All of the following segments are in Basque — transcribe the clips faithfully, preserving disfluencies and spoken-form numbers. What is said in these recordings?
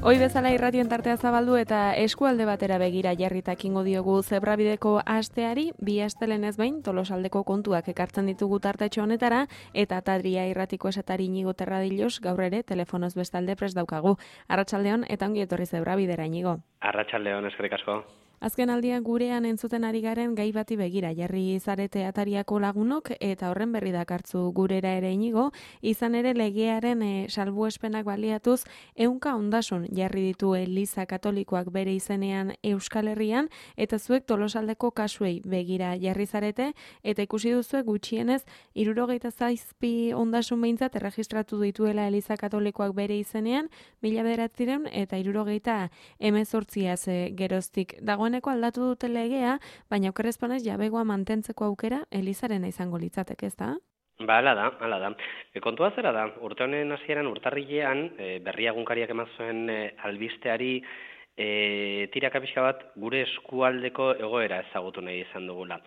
Hoi bezala irratien tartea zabaldu eta eskualde batera begira jarritak ingo diogu zebrabideko asteari, bi astelenez behin Tolosaldeko kontuak ekartzen ditugu tartetxo honetara, eta Tadria irratiko esatari Inigo Terradillos gaur ere telefonoz bestalde prest daukagu. Arratsaldeon eta ongi etorri zebrabidera, Inigo. Arratsaldeon, eskerrik asko. Azken aldian gurean entzuten ari garen gai bati begira jarri zarete Atariako lagunok eta horren berri dakartzu gurera ere, Inigo, izan ere legearen e, salbuespenak baliatuz ehunka ondasun jarri ditu Eliza Katolikoak bere izenean Euskal Herrian, eta zuek Tolosaldeko kasuei begira jarri zarete, eta ikusi duzue gutxienez hirurogeita zazpi ondasun behintzat erregistratu dituela Eliza Katolikoak bere izenean, mila bederatziehun eta hirurogeita hemezortziaz e, geroztik. Dagoeneko aldatu dute legea, baina okerrezpanez jabegoa mantentzeko aukera Elizarena izango litzateke, ez da? Ba, ala da, ala da. E, kontua zera da, urte honen hasieran urtarrilean, e, berria egunkariak eman zuen e, albisteari e, tiraka pixka bat gure eskualdeko egoera ezagutu nahi izan dugula.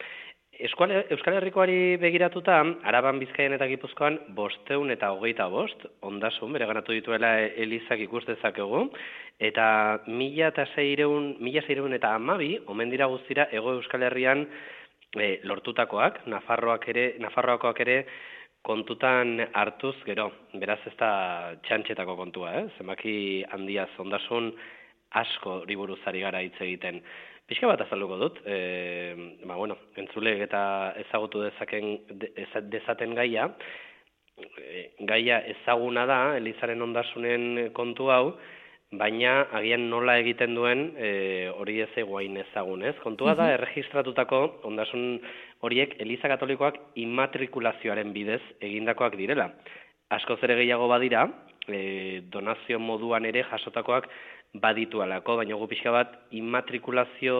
Eskual, Euskal Herrikoari begiratuta, Araban, Bizkaian eta Gipuzkoan bosteun eta hogeita bost, ondasun, bere ganatu dituela Elizak ikus dezakegu, eta mila eta seireun, mila seireun eta hamabi, omen dira guztira, Hego Euskal Herrian e, lortutakoak, Nafarroak ere, Nafarroakoak ere kontutan hartuz gero, beraz ez da txantxetako kontua, eh? Zenbaki handiaz ondasun asko riburuzari gara hitz egiten. Pixka bat azalduko dut, e, ba, bueno, entzulek eta ezagutu dezaken, de, dezaten gaia, e, gaia ezaguna da, Elizaren ondasunen kontu hau, baina agian nola egiten duen e, hori ez eguain ezagun, ez? Kontua da, erregistratutako ondasun horiek Eliza Katolikoak immatrikulazioaren bidez egindakoak direla. Askoz ere gehiago badira, e, donazio moduan ere jasotakoak baditu alako, baina gu pixka bat immatrikulazio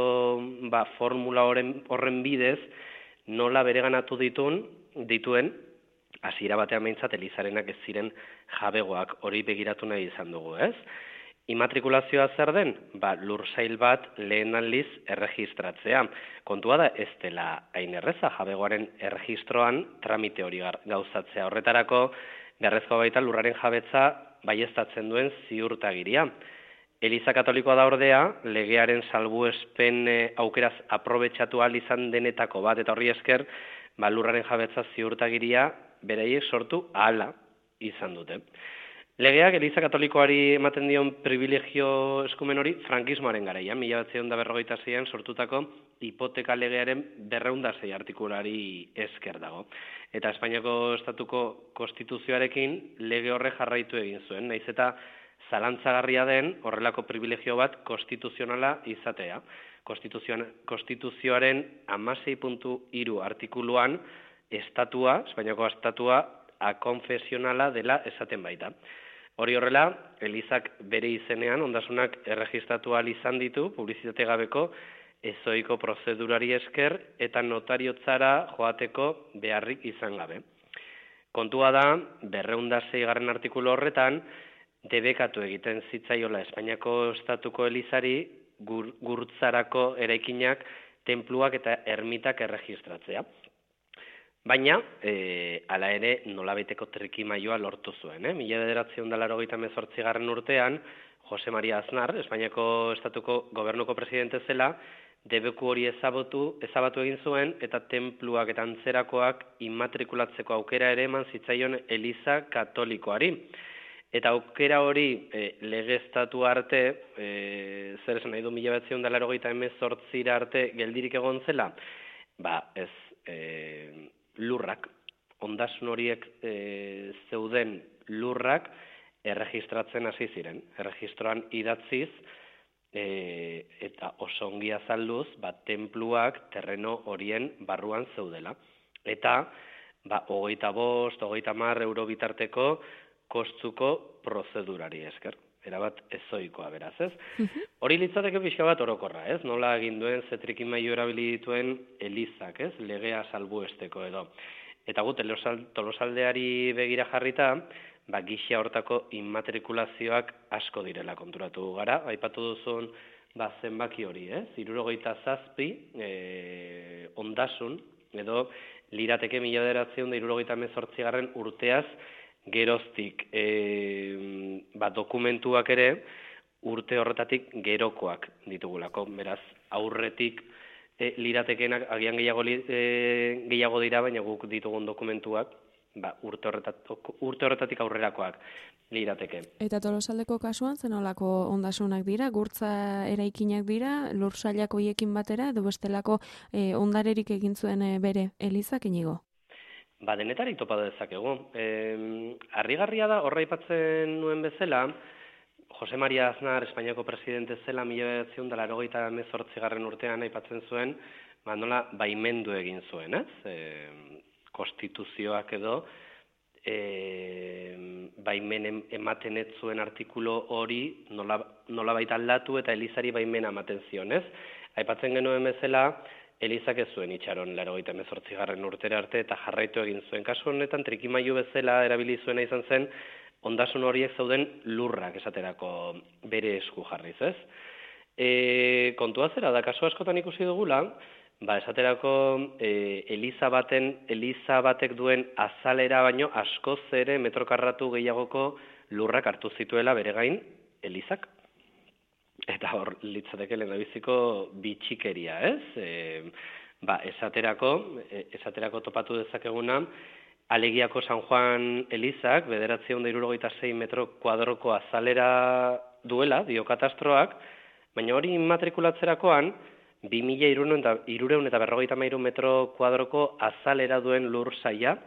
ba, formula horren, horren bidez nola bereganatu ditun, dituen, hasiera batean behintzat Elizarenak ez ziren jabegoak, hori begiratu nahi izan dugu, ez? Immatrikulazioa zer den? Ba, lursail bat lehen aldiz erregistratzea. Kontua da ez dela hain erreza jabegoaren erregistroan tramite hori gauzatzea. Horretarako, beharrezkoa baita lurraren jabetza baieztatzen duen ziurtagiria. Eliza Katolikoa da ordea, legearen salbuespen e, aukeraz aprobetxatu ahal izan denetako bat, eta horri esker, ba, lurraren jabetza ziurtagiria beraiek sortu ahala izan dute. Legeak Eliza Katolikoari ematen dion privilegio eskumen hori frankismoaren garaian, mila bederatziehun eta berrogeita seian sortutako hipoteka legearen berrehun eta sei artikulari esker dago. Eta Espainiako estatuko konstituzioarekin lege horre jarraitu egin zuen, naiz eta zalantzagarria den horrelako privilegio bat konstituzionala izatea. Konstituzioaren hamasei puntu hiru artikuluan estatua, Espainiako estatua, akonfesionala dela esaten baita. Hori horrela, Elizak bere izenean ondasunak erregistratu ahal izan ditu, publizitate gabeko ezoiko prozedurari esker eta notariotzara joateko beharrik izan gabe. Kontua da, berrehun eta seigarren artikulu horretan, debekatu egiten zitzaiola Espainiako estatuko Elizari gur, gurtzarako eraikinak, tenpluak eta ermitak erregistratzea. Baina, e, ala ere, nolabaiteko trikimaioa lortu zuen. Eh? Mila bederatziehun eta laurogeita hemezortzigarren urtean, Jose Maria Aznar, Espainiako estatuko gobernuko presidente zela, debeku hori ezabatu, ezabatu egin zuen, eta tenpluak eta antzerakoak immatrikulatzeko aukera ere eman zitzaion Eliza Katolikoari. Eta aukera hori e, legeztatu arte, e, zer esan nahi du mila bederatziehun eta laurogeita hemezortzira arte geldirik egon zela, ba ez e, lurrak, ondasun horiek e, zeuden lurrak erregistratzen hasi ziren. Erregistroan idatziz e, eta oso ongi azalduz, ba, tenpluak terreno horien barruan zeudela. Eta ba, hogeita bost, hogeita hamar euro bitarteko kostuko prozedurari esker. Erabat ezoikoa beraz, ez? Hori litzateke pixka bat orokorra, ez? Nola egin duen zetrikimailu erabili dituen Elizak, ez? Legea salbuesteko edo. Eta gu, Tolosaldeari begira jarrita, ba, gisa hortako immatrikulazioak asko direla konturatu gara. Aipatu duzun, ba, zenbaki hori, ez? Hirurogeita zazpi e, ondasun, edo lirateke mila bederatziehun eta hirurogeita hemezortzigarren urteaz geroztik e, ba, dokumentuak ere urte horretatik gerokoak ditugulako. Beraz, aurretik e, liratekenak agian gehiago, e, gehiago dira, baina guk ditugun dokumentuak ba, urte, horretatik, urte horretatik aurrerakoak lirateke. Eta Tolosaldeko kasuan zenolako ondasunak dira, gurtza eraikinak dira, lur sailak hoiekin batera, edo bestelako e, ondarerik egin zuen e, bere Elizak, Inigo? Ba, denetarik topa dezakegu. E, harrigarria da, horra aipatzen nuen bezala, Jose Maria Aznar, Espainiako presidente zela, mila bederatziehun eta laurogeita hemezortzigarren urtean aipatzen zuen, ba, nola baimendu egin zuen, ez? E, konstituzioak edo, e, baimen ematen ez zuen artikulu hori nola, nola baita aldatu eta Elizari baimena ematen zion, ez? Aipatzen genuen bezala, Elizak ez zuen itxaron laurogeita hemezortzigarren urtera arte eta jarraitu egin zuen. Kasu honetan, trikimailu bezala erabili zuena izan zen, ondasun horiek zauden lurrak esaterako bere esku jarriz, ez? E, kontua zera da, kasu askotan ikusi dugula, ba, esaterako e, Eliza baten, Eliza batek duen azalera baino askoz ere metrokarratu gehiagoko lurrak hartu zituela bere gain Elizak. Eta hor litzateke lehendabiziko bitxikeria, ez? E, ba, esaterako, esaterako topatu dezakeguna, Alegiako San Juan Elizak, bederatziehun eta hirurogeita sei metro kuadroko azalera duela, dio katastroak, baina hori immatrikulatzerakoan, bi mila hirurehun eta berrogeita hamairu metro kuadroko azalera duen lur saia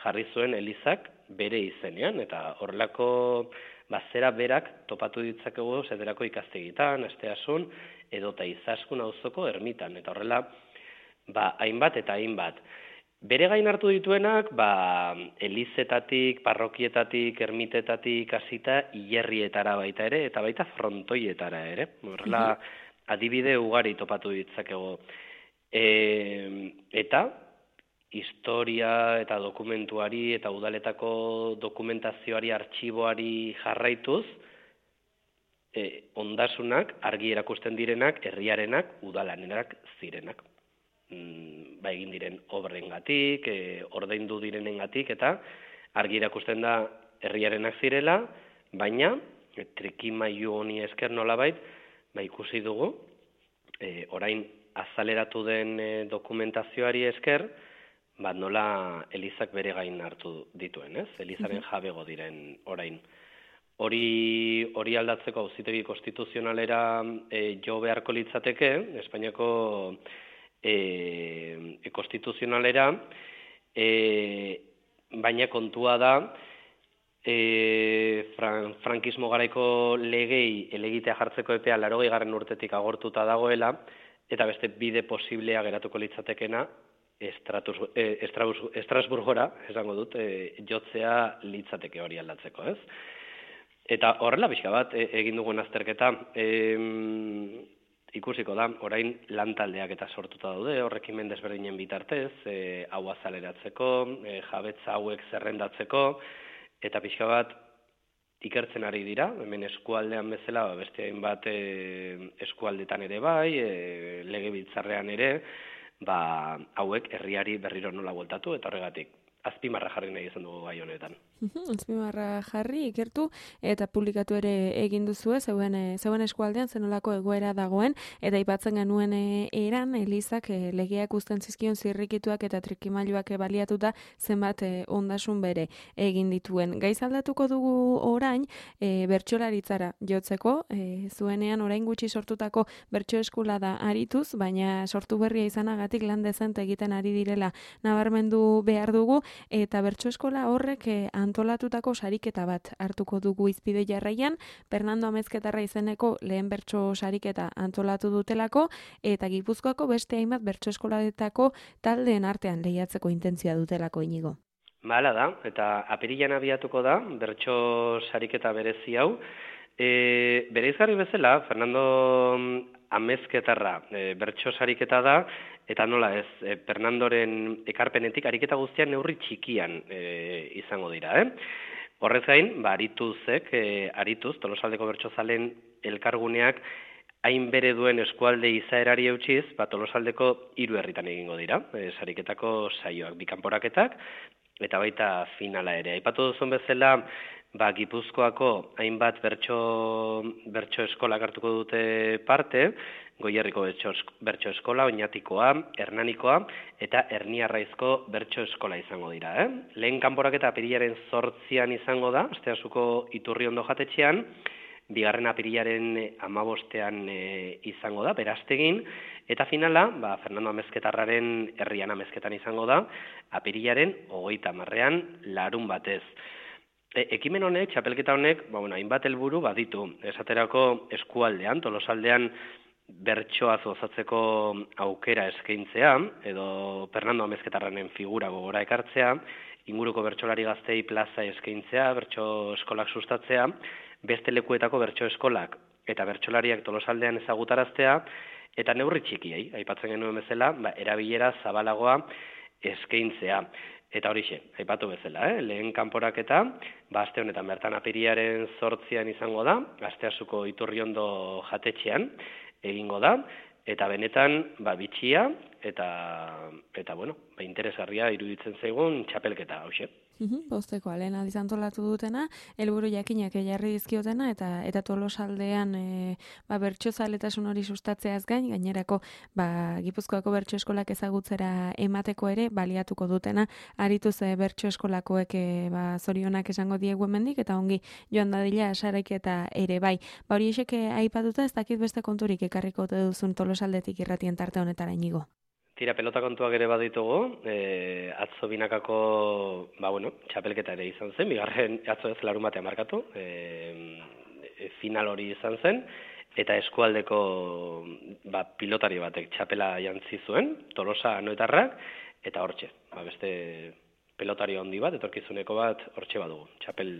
jarri zuen Elizak bere izenean, eta horrelako bazera berak topatu ditzakegu zederako ikastegitan, asteasun, edota izaskun auzoko ermitan, eta horrela, ba, hainbat eta hainbat. Bere gain hartu dituenak, ba, elizetatik, parrokietatik, ermitetatik, hasita hilerrietara baita ere, eta baita frontoietara ere. Horrela, adibide ugari topatu ditzakegu. E, eta, historia eta dokumentuari eta udaletako dokumentazioari, artxiboari jarraituz, e, ondasunak, argi erakusten direnak, herriarenak, udalanenak zirenak. Ba, egin diren obrengatik, e, ordaindu direnengatik, eta argi erakusten da herriarenak zirela, baina e, trikimailu honi esker nolabait, ba, ikusi dugu, e, orain azaleratu den e, dokumentazioari esker, ba, nola Elizak bere gain hartu dituen, ez? Elizaren jabego diren orain. Hori, hori aldatzeko auzitegi konstituzionalera e, jo beharko litzateke, Espainiako E, e, konstituzionalera, e, baina kontua da e, fran, frankismo garaiko legei elegitea jartzeko epea laurogeigarren urtetik agortuta dagoela, eta beste bide posiblea geratuko litzatekena Estratus, e, Estrabus, Estrasburgora, esango dut, e, jotzea litzateke hori aldatzeko, ez? Eta horrela pixka bat e, egin dugun azterketa, e, ikusiko da, orain lantaldeak eta sortuta daude, horrekimen desberdinen bitartez, e, hau azaleratzeko, e, jabetza hauek zerrendatzeko, eta pixka bat ikertzen ari dira, hemen eskualdean bezala, beste hainbat e, eskualdetan ere bai, e, legebiltzarrean ere, ba, hauek herriari berriro nola bueltatu, eta horregatik azpimarra jarri nahi izan dugu gai honetan. Azpimarra jarri, ikertu, eta publikatu ere egin duzue, zeuen, zeuen eskualdean zenolako egoera dagoen, eta aipatzen genuen eran, Elizak e, legeak uzten zizkion zirrikituak eta trikimailuak baliatuta zenbat e, ondasun bere egin dituen. Gaiz aldatuko dugu orain, e, bertsolaritzara jotzeko, e, zuenean orain gutxi sortutako bertso eskola da arituz, baina sortu berria izanagatik lan dezente egiten ari direla nabarmendu behar dugu, eta bertso eskola horrek e, antolatutako sariketa bat hartuko dugu izpide jarraian, Fernando Amezketarra izeneko lehen bertso sariketa antolatu dutelako, eta Gipuzkoako beste hainbat bertso eskoladetako taldeen artean lehiatzeko intentzioa dutelako, Inigo. Bala da, eta apirilan abiatuko da, bertso sariketa berezi hau. E, bere izgarri bezala, Fernando Amezketarra e, bertso sariketa da, eta nola ez, e, Fernandoren ekarpenetik ariketa guztian neurri txikian e, izango dira, eh? Horrez gain, ba, arituzek, e, arituz, Tolosaldeko bertsozalen elkarguneak, hain bere duen eskualde izaerari eutxiz, ba, Tolosaldeko hiru herritan egingo dira, e, sariketako saioak, bikanporaketak, eta baita finala ere. Aipatu duzun bezala, ba, Gipuzkoako hainbat bertso, bertso eskolak hartuko dute parte, Goierriko bertso eskola, Oñatikoa, Hernanikoa eta Erniarraizko bertso eskola izango dira. Eh? Lehen kanporaketa apirilaren zortzian izango da, Asteasuko Iturriondo jatetxean, bigarren apirilaren amabostean e, izango da, Berastegin, eta finala, ba, Fernando Amezketarraren herrian Amezketan izango da, apirilaren hogeita hamarrean larun batez. E, ekimen honek, txapelketa honek, ba, bueno, hainbat helburu baditu. Esaterako eskualdean, Tolosaldean bertsoaz gozatzeko aukera eskaintzea, edo Fernando Amezketarraren figura gogora ekartzea, inguruko bertsolari gaztei plaza eskaintzea, bertso eskolak sustatzea, beste lekuetako bertso eskolak eta bertsolariak Tolosaldean ezagutaraztea, eta neurri txikiei, aipatzen genuen bezala, ba, erabilera zabalagoa eskaintzea. Eta horixe, aipatu bezala, eh? Lehen kanporaketa, ba, aste honetan bertan apirilaren zortzian izango da, Asteasuko Iturriondo jatetxean egingo da, eta benetan ba, bitxia eta, eta bueno, ba, interesgarria iruditzen zaigun txapelketa, hauxe. Bosteko lehen aldiz antolatu dutena, helburu jakinak jarri dizkiotena, eta eta Tolosaldean e, ba, bertsozaletasun hori sustatzeaz gain, gainerako ba, Gipuzkoako bertso eskolak ezagutzera emateko ere baliatuko dutena, arituz e, bertso eskolakoek e, ba, zorionak esango diegu hemendik, eta ongi joan dadila saraiketa ere bai. Ba, hori esek aipatuta ez dakit beste konturik ekarriko duzun Tolosaldetik irratien tarte honetara, Inigo. Tira, pelota kontuak ere baditugu, e, atzo binakako, ba, bueno, txapelketa ere izan zen, bigarren atzo ez larun batean markatu, e, e, final hori izan zen, eta eskualdeko ba, pilotari batek txapela jantzi zuen, Tolosa anoetarrak, eta hortxe, ba, beste pelotari handi bat, etorkizuneko bat hortxe badugu, txapel,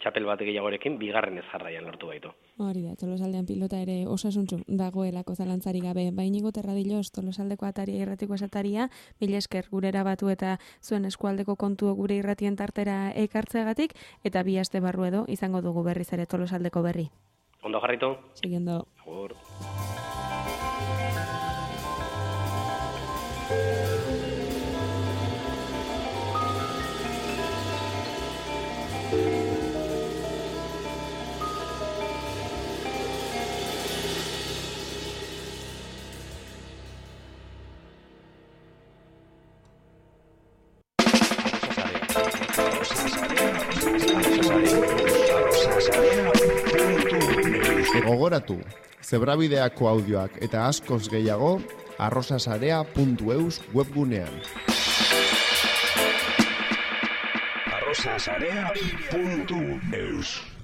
txapel bat gehiagorekin, bigarren ez jarraian lortu baitu. Hori da, Tolosaldean pilota ere osasuntzu dagoelako zalantzari gabe. Bainigo Terradilos, Tolosaldeko ataria irratiko esataria, mila esker gurera batu eta zuen eskualdeko kontu gure irratien tartera ekartzeagatik, eta bi aste barru edo izango dugu berriz ere Tolosaldeko berri. Ondo jarritu. Siguiendo. Agur. Gogoratu, Zebrabideako audioak eta askoz gehiago arrosasarea puntu eus webgunean. arrosasarea puntu eus